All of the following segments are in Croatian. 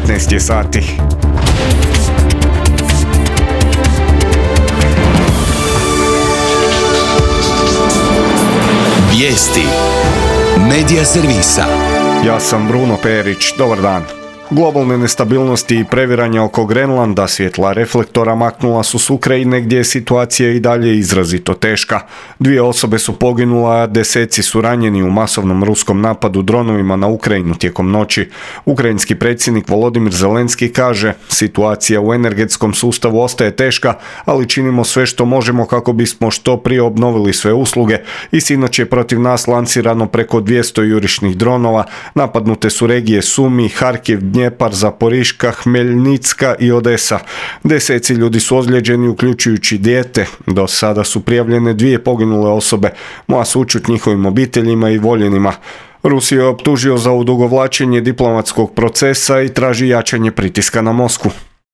15 je sati. Vijesti Medija servisa. Ja sam Bruno Perić, dobar dan. Globalne nestabilnosti i previranja oko Grenlanda svjetla reflektora maknula su s Ukrajine gdje je situacija i dalje izrazito teška. 2 osobe su poginula, a deseci su ranjeni u masovnom ruskom napadu dronovima na Ukrajinu tijekom noći. Ukrajinski predsjednik Volodimir Zelenski kaže: situacija u energetskom sustavu ostaje teška, ali činimo sve što možemo kako bismo što prije obnovili sve usluge i sinoć je protiv nas lancirano preko 200 jurišnih dronova. Napadnute su regije Sumi, Harkiv, Dnjepar, Zaporiška, Hmeljnicka i Odesa. Deseci ljudi su ozlijeđeni, uključujući dijete. Do sada su prijavljene 2 poginule osobe. Moja sućut njihovim obiteljima i voljenima. Rusiju je optužio za odugovlačenje diplomatskog procesa i traži jačanje pritiska na Moskvu.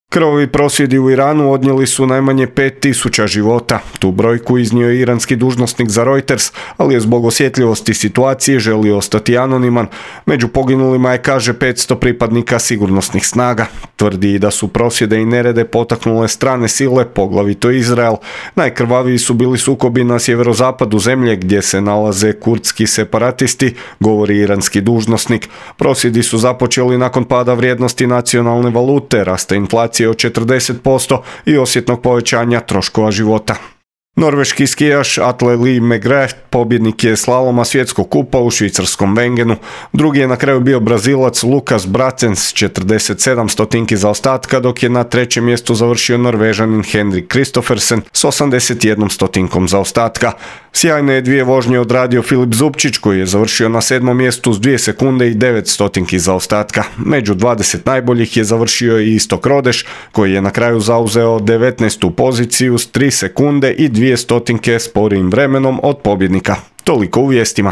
Krvavi prosvjedi u Iranu odnijeli su najmanje 5000 života. Tu brojku iznio je iranski dužnosnik za Reuters, ali je zbog osjetljivosti situacije želio ostati anoniman. Među poginulima je, kaže, 500 pripadnika sigurnosnih snaga. Tvrdi da su prosvjede i nerede potaknule strane sile, poglavito Izrael. Najkrvaviji su bili sukobi na sjeverozapadu zemlje gdje se nalaze kurdski separatisti, govori iranski dužnosnik. Prosvjedi su započeli nakon pada vrijednosti nacionalne valute, rasta inflacije od 40% i osjetnog povećanja troškova života. Norveški skijaš Atle Lee Megre pobjednik je slaloma svjetskog kupa u švicarskom Wengenu. Drugi je na kraju bio Brazilac Lukas Bracen s 47 stotinki zaostatka, dok je na 3. mjestu završio Norvežanin Henrik Kristoffersen s 81 stotinkom zaostatka. Sjajne je 2 vožnje odradio Filip Zubčić, koji je završio na 7. mjestu s 2 sekunde i 9 stotinki zaostatka. Među 20 najboljih je završio i Istok Rodeš, koji je na kraju zauzeo 19. poziciju s 3 sekunde i 2 stotinke sporijim vremenom od pobjednika. Toliko u vijestima.